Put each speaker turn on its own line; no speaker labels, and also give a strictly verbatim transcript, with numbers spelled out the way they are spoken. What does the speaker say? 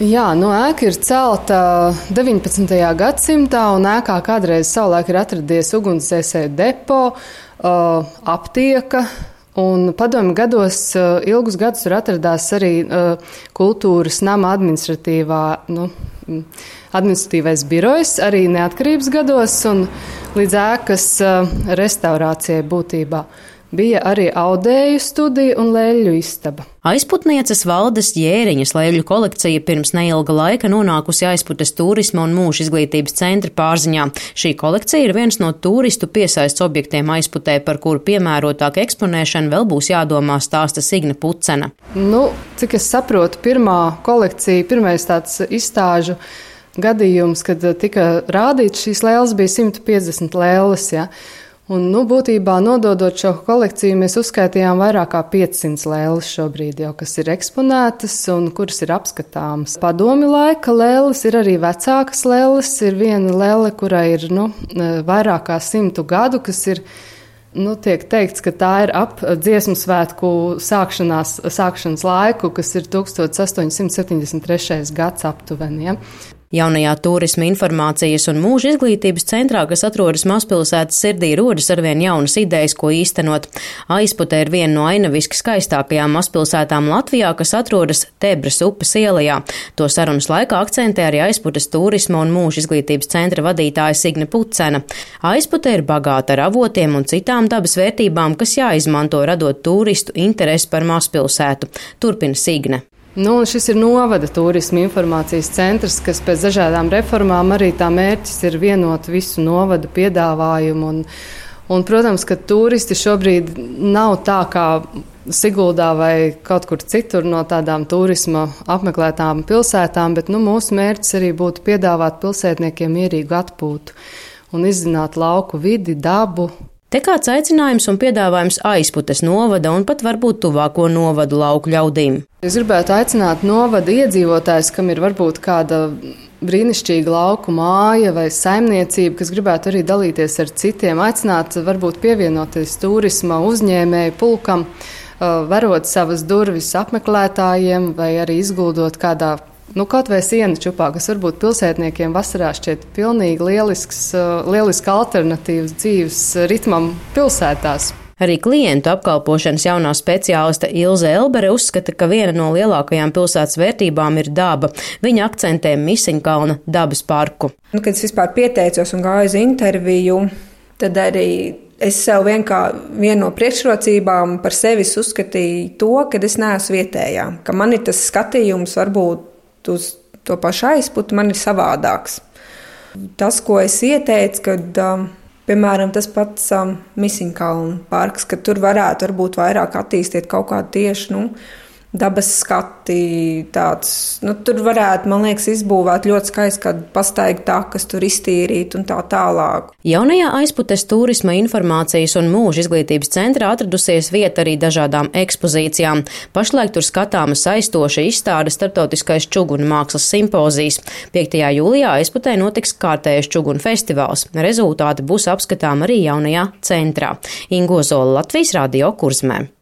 Jā, no ēka ir celta deviņpadsmitajā gadsimtā, un ēkā kādreiz savulaik ir atradies ugunsdzēsēju depo, aptieka, un padomju gados ilgus gadus tur atradās arī kultūras nama administratīvā, nu, administratīvais birojs, arī neatkarības gados, un līdz ēkas restaurācijai būtībā. Bija arī audēju studija un lēļu istaba.
Aizputnieces Valdes Jēriņas lēļu kolekcija pirms neilga laika nonākusi Aizputes turisma un mūža izglītības centra pārziņā. Šī kolekcija ir viens no turistu piesaists objektiem Aizputē, par kuru piemērotāku eksponēšanu vēl būs jādomā, stāsta Signe Pucena.
Nu, cik es saprotu, pirmā kolekcija, pirmais tāds izstāžu gadījums, kad tika rādīts šīs lēles, bija simt piecdesmit lēles, ja. Un, nu, būtībā nododot šo kolekciju, mēs uzskaitījām vairāk kā piecsimt lēles šobrīd jau, kas ir eksponētas un kuras ir apskatāmas. Padomju laika lēles ir arī vecākas lēles. Ir viena lēle, kurai ir, nu, vairāk kā simtu gadu, kas ir, nu, tiek teikts, ka tā ir ap dziesmu svētku sākšanās, sākšanas laiku, kas ir tūkstoš astoņi simti septiņdesmit trešais gads aptuveni, ja.
Jaunajā turisma informācijas un mūža izglītības centrā, kas atrodas mazpilsētas sirdī, rodas arvien jaunas idejas, ko īstenot. Aizpute ir viena no ainaviski skaistākajām mazpilsētām Latvijā, kas atrodas Tebras upes ielajā. To sarunas laikā akcentē arī Aizputes turisma un mūža izglītības centra vadītāja Signe Pucena. Aizpute ir bagāta ar avotiem un citām dabas vērtībām, kas jāizmanto radot turistu interesi par mazpilsētu. Turpina Signe.
Nu, šis ir novada turisma informācijas centrs, kas pēc dažādām reformām arī tā mērķis ir vienot visu novadu piedāvājumu. Un, un, protams, ka turisti šobrīd nav tā kā Siguldā vai kaut kur citur no tādām turisma apmeklētām pilsētām, bet nu, mūsu mērķis arī būtu piedāvāt pilsētniekiem mierīgu atpūtu un izzināt lauku vidi, dabu.
Te kāds aicinājums un piedāvājums Aizputes novada un pat varbūt tuvāko novadu lauku ļaudīm.
Es gribētu aicināt novada iedzīvotājus, kam ir varbūt kāda brīnišķīga lauku māja vai saimniecība, kas gribētu arī dalīties ar citiem, aicināt varbūt pievienoties turisma uzņēmēju pulkam, varot savas durvis apmeklētājiem vai arī izguldot kādā Nu, kaut vai siena čupā, kas varbūt pilsētniekiem vasarā šķiet pilnīgi lielisks, lieliska alternatīvas dzīves ritmam pilsētās.
Arī klientu apkalpošanas jaunā speciāliste Ilze Elbere uzskata, ka viena no lielākajām pilsētas vērtībām ir daba. Viņa akcentē Misiņkalna dabas parku.
Nu, kad es vispār pieteicos un gāju uz interviju, tad arī es sev vienkārši vienu no priekšrocībām par sevi uzskatīju to, ka es neesmu vietējā, ka man ir tas skatījums varbūt uz to pašu Aizputi man ir savādāks. Tas, ko es ieteicu, kad, piemēram, tas pats Misiņkalna parks, ka tur varētu varbūt vairāk attīstīt kaut kādu tieši, nu, dabas skati, tāds, nu, tur varētu, man liekas, izbūvēt ļoti skaisti kādu pastaigu takas, tur iztīrīt un tā tālāk.
Jaunajā Aizputes turisma informācijas un mūža izglītības centrā atradusies vieta arī dažādām ekspozīcijām. Pašlaik tur skatāma saistoša izstāde Startautiskais čugunu mākslas simpozijas. piektajā jūlijā Aizputē notiks kārtējais čugunu festivāls. Rezultāti būs apskatām arī jaunajā centrā. Ingo Zola, Latvijas Radio Kurzmē.